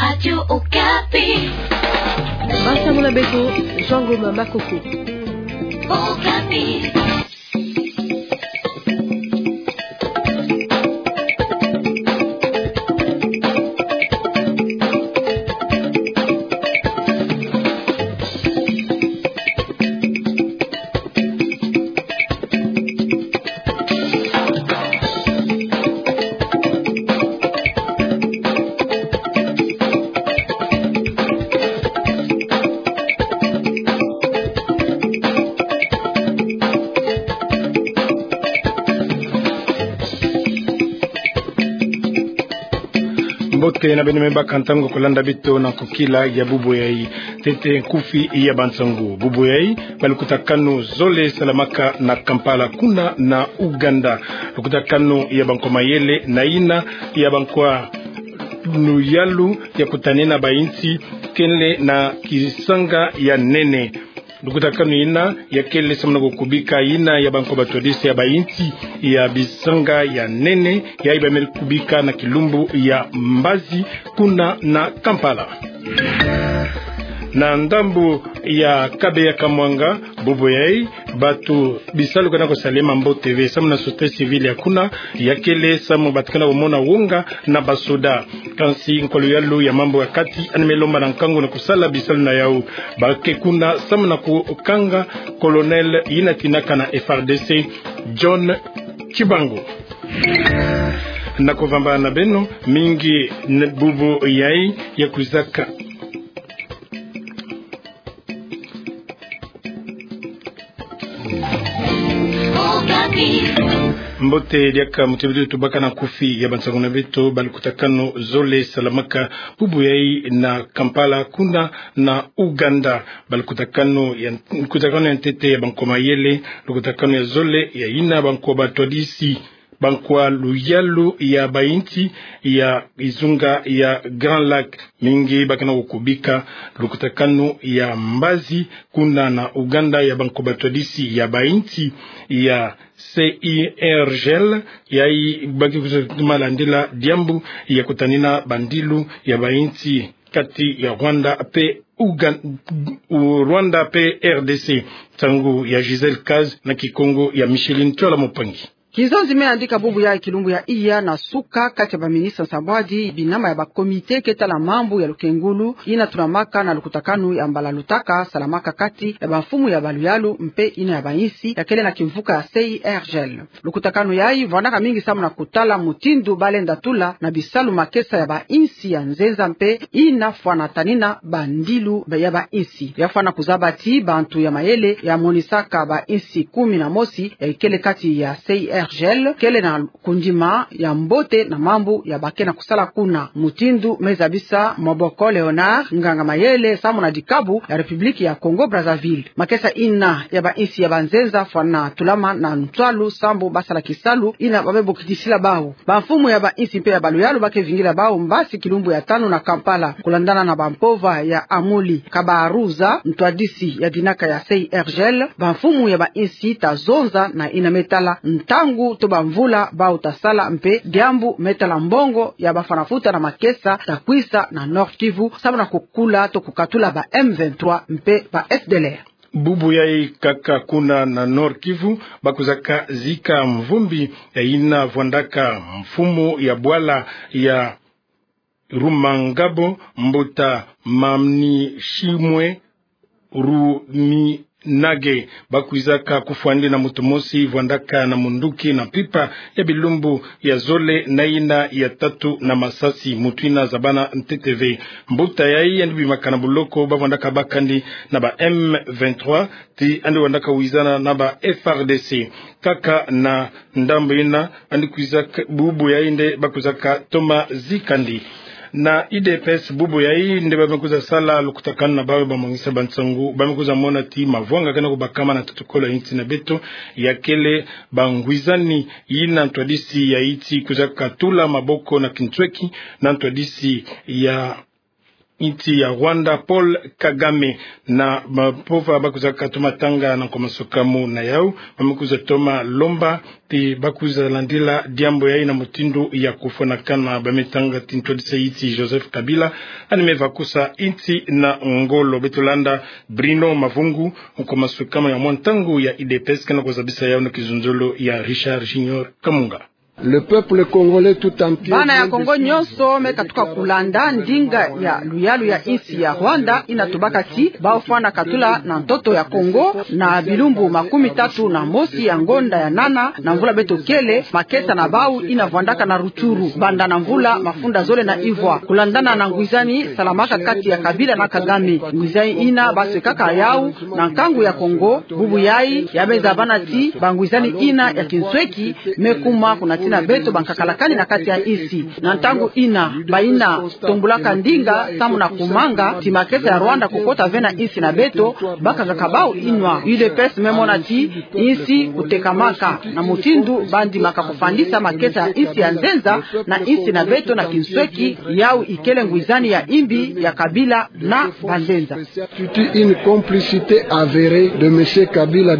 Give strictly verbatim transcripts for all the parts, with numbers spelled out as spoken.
Radio Okapi. Bansango na beto, Jean Ngoma Makoko. Okapi. Mbote na beno me baka ntangu ya kulanda beto na nkokila ya bubu yayi. Ntete nkufi ya bansangu. Bubu yayi, balukutakanu zole salamaka na Kampala kuna na Ouganda. Lukutakanu ya bankwa mayele na yina ya bankwa luyalu ya kutanina bayinsi kele na kisanga ya nene. Lukutakanu yina yakele samu na kukubika yina ya bankwa batwadisi ya bayinsi ya bisanga ya nene, yayi bamele kubika na kilumbu ya mbazi kuna na Kampala. Na ndambu ya Kabeya Kamwanga, bubu yayi, bato bisalu ke na kusalema mbote ve, samu na société civile ya kuna, yakele samu bato ke na kumona wonga na basoda. Kansi nkwa luyalu ya mambu ya kati, yandi me lomba na nkangu na kusala bisalu na yawu. Ba ke kuna samu na kukanga colonel yina tinaka na F R D C, John Tshibangu. Na kuvamba na beno, mingi na bubu yayi ya kwizaka. Mbote diaka muti beto tubaka na nkufi ya bansangu na beto. Balukutakanu zole salamaka bubu yayi na Kampala kuna na Ouganda. Balukutakanu ya, lukutakanu ya ntete ya bankwa mayele, lukutakanu ya zole ya yina bankwa batwadisi, bankwa luyalu ya bayinsi ya kizunga ya Grand Lac. Mingi ba ke na kukubika lukutakanu ya mbazi kuna na Ouganda ya bankwa batwadisi ya bayinsi ya C I R G L, yayi ba ke kwiza toma landila diambu ya kutanina bandilu ya bayinsi kati ya Rwanda pe Ougan-, u-, Rwanda pe R D C. Nsangu ya Gisèle Kaz na Kikongo ya Micheline Tiola Mopangi. Kizonzi me yandika bubu yayi kilumbu ya iya na suka kati ya baministre nsambwadi binama ya bacomité ke tala mambu ya lukengulu, yina tunamaka na lukutakanu ya mbala lutaka salamaka kati ya bamfumu ya baluyalu mpe yina ya bayinsi yakele na kimvuka ya C I R G L. Lukutakanu yayi vwandaka mingi samu na kutala mutindu balenda tula na bisalu makesa ya bayinsi ya nzenza mpe yina fwana tanina bandilu ya bayinsi. Ya fwana kuzaba ti bantu ya mayele ya monisaka bayinsi kumi na mosi ya ikele kati ya C I R G L kele na kundima ya mbote na mambu ya ba ke na kusala kuna. Mutindu me zabisa Maboko Léonard, nganga mayele samu na dikabu ya République ya Congo Brazzaville. Makesa yina ya bayinsi ya banzenza fwana tulama na ntwalu sambu basala kisalu yina ba me bokitisila bawu. Bamfumu ya bayinsi mpe ya baluyalu ba ke vingila bawu mbasi kilumbu ya tanu na Kampala, kulandana na bampova ya Amuli Kabaruza, ntwadisi ya dinaka ya C I R G L. Bamfumu ya bayinsi ta zonza na yina me tala ntangu to bamvula bawu ta sala mpe diambu me tala mbongo ya bafwana futa na makesa ta kwisa na Nord-Kivu samu na kukula to kukatula ba M vingt-trois mpe ba F D L R. Bubu yayi kaka kuna na Nord-Kivu, ba kwizaka zika mvumbi ya yina vwandaka mfumu ya bwala ya Rumangabo, mbuta Manishimwe Ruminage. Ba kwizaka kufwa yandi na muntu mosi vwandaka na munduki na mpimpa ya bilumbu ya zole na yina ya tatu na masasi. Muntu yina zabana ntete ve. Mbuta yayi yandi bimaka na buloko ba vwandaka baka yandi na ba M vingt-trois, ti yandi vwandaka wizana na ba F R D C. Kaka na ndambu yina, yandi kwizaka, bubu yayi nde ba kwizaka toma zika yandi. Na U D P S, bubu yayi nde ba me kwiza sala lukutakanu na bawu bamongisa bansangu, ba me kwiza mona ti mavwanga ke na kubakama na ntoto-kolo ya yinsi na beto, yakele bangwizani yina ntwadisi ya yinsi kwizaka tula maboko na kintweki na ntwadisi ya insi ya Rwanda, Paul Kagame, na bavova ba kwiza katoma tanga na nkomasoka mo na yau, ba me kwiza toma lomba ti ba kwiza landila diambu yayi na mutindu ya kufwanakana. Ba me tanga ti ntwadisi ya insi Joseph Kabila, yandi me vakusa insi na ngolo. Beto landa Bruno Mavungu, nkomasoka mo ya mwa ntangu ya U D P S, kena kuzabisa yau na kizunzolo ya Richard Junior Kamunga. Le peuple congolais tout entier. Bana ya Kongo nyonso me katuka kulanda ndinga ya luyalu ya insi ya Rwanda, yina tubaka ti bau fwana katula na ntoto ya Kongo na bilumbu makumi tatu na mosi ya ngonda ya nana na mvula beto kele, makesa na bau yina vwandaka na Rutshuru banda na mvula mafunda zole na ivwa, kulandana na ngwizani salamaka kati ya Kabila na Kagame. Ngwizani yina ba swekaka yau na nkangu ya Kongo. Bubu yayi ya me zabana ti bangwizani yina ya kinsweki me kuma kuna tina beto bankakalakani na kati ya insi. Na ntangu yina, bayina tombulaka ndinga samu na kumanga ti makesa ya Rwanda kukota ve na insi na beto, bakangaka bau yinwa. U D P S me mona ti insi kutekamaka na mutindu bandimaka kufandisa makesa ya insi ya nzenza na insi na beto na kinsweki. Yau ikele ngwizani ya imbi ya Kabila na banzenza. Une complicité avérée de monsieur Kabila.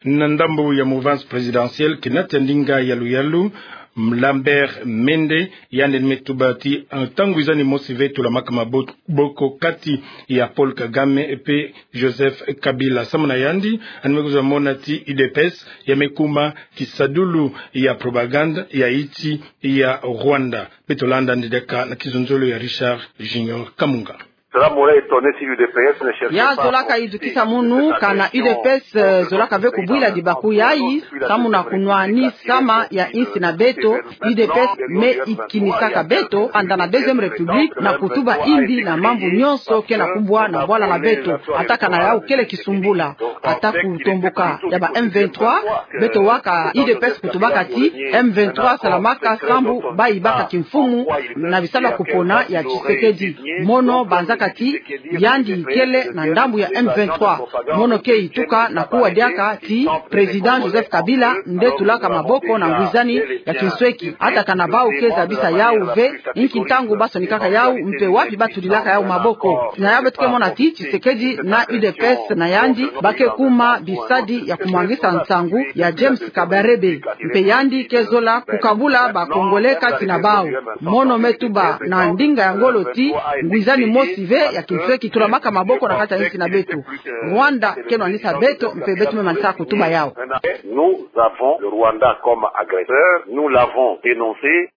Na ndambu ya mouvance présidentielle, kena tia ndinga ya luyalu, Lambert Mende, yandi me tuba ti, eh, ntangu ngwizani mosi ve tulamaka maboko kati ya Paul Kagame mpe Joseph Kabila. Samu na yandi, yandi me kwiza mona ti U D P S ya me kuma kisadulu ya propagande ya insi ya Rwanda. Beto landa yandi diaka na kizunzolo ya Richard Junior Kamunga. Cela m'aurait étonné si U D P S ne cherchait pas. Ya zolaka yizukisa munu kana U D P S, eh, zolaka ve kubwila dibaku yayi, samu na kunwani sama ya insi na beto. U D P S me ikinisaka beto banda na Deuxième République na kutuba imbi na mambu nyonso kena kubwa na bwala na beto. Ata kana yau kele kisumbula, ata kutomboka ya ba M vingt-trois, beto waka U D P S kutubaka ti M vingt-trois salamaka sambu bayibaka kimfumu na bisalu ya kupona ya Tshisekedi. Mono banzaka ti yandi kele na ndambu ya M vingt-trois. Mono ke ituka na kuwa diaka ti Président Joseph Kabila nde tulaka maboko na ngwizani ya kinsweki. Ata kana bau ke zabisa yau ve inki ntangu ba sonikaka yau mpe wapi ba tulilaka yau maboko. Na yau beto ke mona ti Tshisekedi na U D P S na yandi ba ke kuma bisadi ya kumwangisa nsangu ya James Kabarebe. Mpe yandi ke zola kukabula ba Congolais kati na bau. Mono me tuba na ndinga ya ngolo ti ngwizani mosi ve ya kinsweki tulamaka maboko na kati ya insi na beto. Rwanda ke nwanisa beto mpe beto me manisa kutuba yau. Nous avons le Rwanda comme agresseur, nous l'avons dénoncé.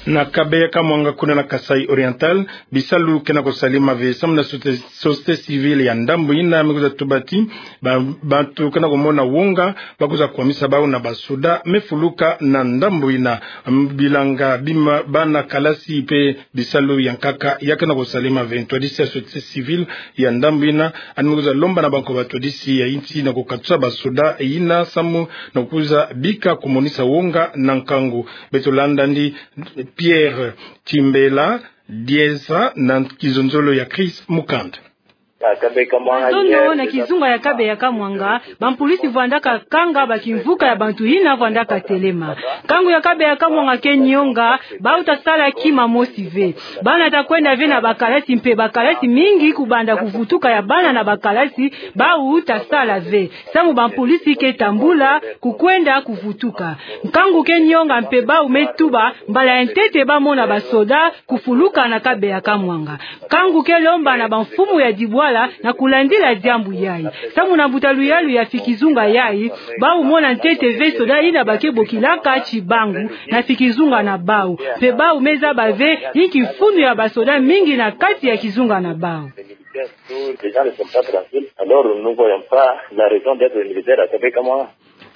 Na Kabeya Kamwanga kuna na Kasaï Oriental, bisalu kena kusalema ve samu na sote-, société civile ya ndambu yina me kwiza tuba ti ba-, bantu kena kumona wonga ba kwiza kwamisa bau na basoda me fuluka na ndambu yina. M-, bilanga bima bana kalasi mpe bisalu ya nkaka ya kena kusalema ve. Ntwadisi ya société civile ya ndambu yina yandi me kwiza lomba na banko batwadisi ya insi na kukatusa basoda yina samu na kwiza bika kumonisa wonga na nkangu. Beto landa yandi Pierre Timbela Dieza na kizunzolo ya Chris Mukand. Zono na kizunga ya Kabeya Kamwanga, bampolisi vwandaka kanga bakimvuka ya bantu yina vwandaka telema. Nkangu ya Kabeya Kamwanga ke nionga, bau ta sala kima mosi ve. Bana ta kwenda ve na bakalasi mpe bakalasi mingi kubanda kuvutuka ya bana na bakalasi, bau ta sala ve. Samu bampolisi ke tambula kukwenda kuvutuka. Nkangu ke nionga mpe bau me tuba mbala ya ntete ba mona basoda kufuluka na Kabeya Kamwanga. Nkangu ke lomba na bamfumu ya dibwala na kulandila diambu yayi. Samu na mbuta luyalu ya fi kizunga yayi, bau mona ntete ve soda yina ba ke bokilaka tibangu na fi kizunga na bau. Mpe bau me zaba ve inki mfunu ya basoda mingi na kati ya kizunga na bau. Les gens ne sont pas tranquilles, alors nous ne voyons pas la raison d'être militaire à Kabeya Kamwanga.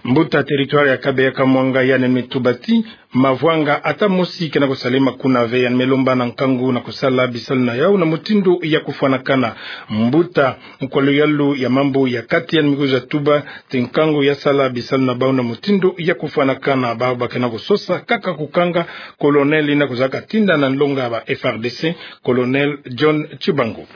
Mbuta territoire ya Kabeya Kamwanga yandi me tuba ti mavwanga ata mosi kena kusalema kuna ve. Yandi me lomba na nkangu na kusala bisalu na yau na mutindu ya kufwanakana. Mbuta kwa luyalu ya mambu ya kati yandi me kwiza tuba ti nkangu ya sala bisalu na bau na mutindu ya kufwanakana. Bau ba kena kusosa kaka kukanga colonel yina kwizaka tinda na nlonga ba F R D C, colonel John Tshibangu.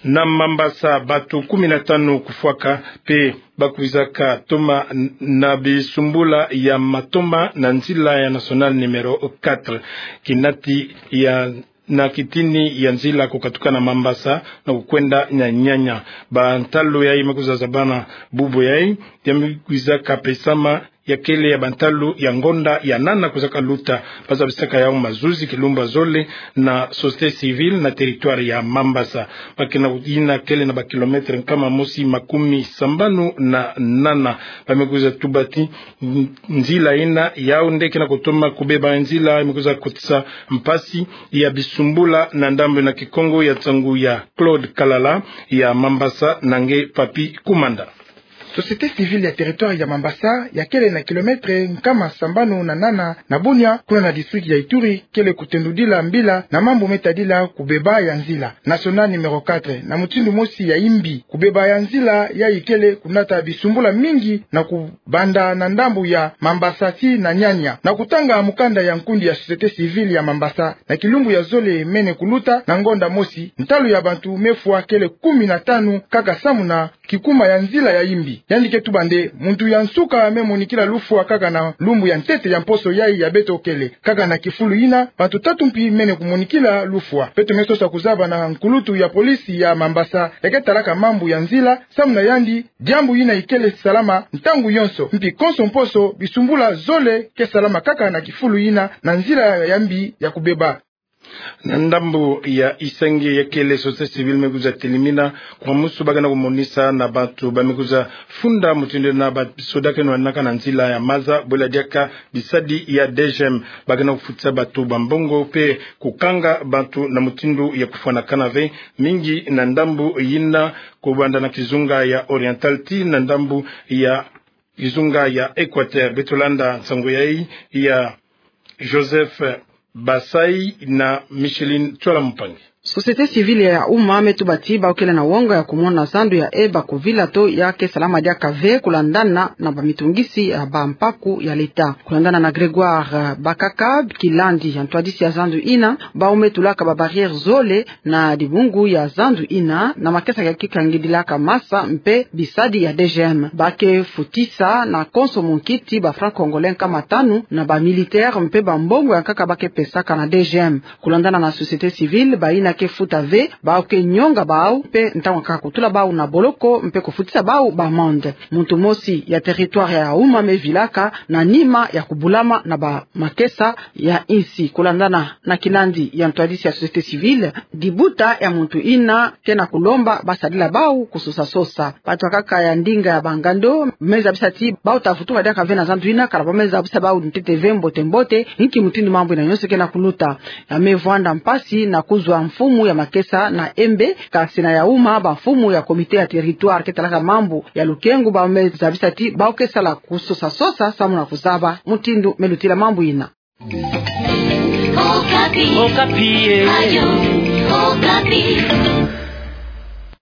Na Mambasa, bato kumi na tano kufwaka, mpe ba kwizaka toma n-, na bisumbula ya matoma na nzila ya nationale numéro quatre, kinati ya, na kitini ya nzila kukatuka na Mambasa na kukwenda na Nyanya. Bantalu yayi me kwiza zabana bubu yayi, ya me kwizaka pesama ya kele ya bantalu ya ngonda ya nana kwizaka luta. Ba zabisaka yau mazuzi kilumbu ya zole na société civile na territoire ya Mambasa. Ba ke na yina kele na ba kilomètre nkama mosi makumi sambanu na nana. Ba me kwiza tuba ti n-, nzila yina yau nde ke na kutoma kubeba, nzila me kwiza kotisa mpasi ya bisumbula na ndambu na Kikongo ya nsangu ya Claude Kalala ya Mambasa na nge Papy Kumanda. Société civile ya territoire ya Mambasa, ya kele na kilomètre nkama sambanu na nana na Bunia, kuna na district ya Ituri, kele kutendudila mbila na mambu me tadila kubeba ya nzila nationale numéro quatre, na mutindu mosi ya yimbi. Kubeba ya nzila yayi kele kunata bisumbula mingi na kubanda na ndambu ya Mambasa tii na Nyanya. Na kutanga mukanda ya nkundi ya société civile ya Mambasa, na kilumbu ya zole mene kuluta na ngonda mosi, ntalu ya bantu me fwa kele kumi na tano kaka samu na kikuma ya nzila ya yimbi. Yandi ke tuba nde muntu ya nsuka me monikila lufwa kaka na lumbu ya ntete ya mposo yayi ya beto kele. Kaka na kifulu yina, bantu tatu mpi mene kumonikila lufwa. Beto me sosa kuzaba na nkulutu ya police ya Mambasa ya ke talaka mambu ya nzila, samu na yandi, diambu yina ikele salama ntangu yonso. Mpi konso mposo, bisumbula zole ke salama kaka na kifulu yina, na nzila ya yimbi ya kubeba. Na ndambu ya Isenge, ya kele société civile me kwiza telimina kwa musu ba ke na kumonisa na bantu ba me kwiza funda mutindu na basoda ke nwanaka na nzila ya maza, bwela diaka bisadi ya D G M. Ba ke na kufutisa bantu bambongo mpe kukanga bantu na mutindu ya kufwanakana ve, mingi na ndambu yina kubanda na kizunga ya Oriental tii na ndambu ya kizunga ya Equateur. Beto landa nsangu yayi ya Joseph Basai na Micheline Tsola Mpangi. Société civile ya uma me tuba ti bau kele na wonga ya kumona zandu ya eba kuvila to ya ke salama diaka ve kulandana na bamitungisi ya bampaku ya leta. Kulandana na Grégoire Bakaka, kilandi ya ntwadisi ya zandu yina, bau me tulaka ba barrière zole na dibungu ya zandu yina, na makesa ya ke kangidilaka masa mpe bisadi ya D G M. Ba ke futisa na konso munkiti ba francs congolais nkama tanu, na ba militaire mpe bambongo ya nkaka ba ke pesaka na D G M. Kulandana na société civile, bayina ke futa ve, bau ke nyonga bau, mpe ntangu ya nkaka kutula bau na boloko, mpe kufutisa bau ba amende. Muntu mosi ya territoire ya uma me vilaka na nima ya kubulama na ba makesa ya insi. Kulandana na kilandi ya ntwadisi ya société civile, dibuta ya muntu yina ke na kulomba basadila bau kusosa-sosa. Bantu ya nkaka ya ndinga ya bangando me zabisa ti bau ta vutuka diaka ve na zandu yina, kala bau me zabisa bau ntete ve mbote-mbote inki mutindu mambu yina nyonso ke na kuluta. Ya me vwanda mpasi na kuzwa mfumu ya makesa na Embe, kasi na ya uma, bamfumu ya comité ya territoire ke talaka mambu ya lukengu bau me zabisa ti bau ke sala kusosa-sosa samu na kuzaba mutindu me lutila mambu yina. Okapi. Okapi, eh. Radio Okapi.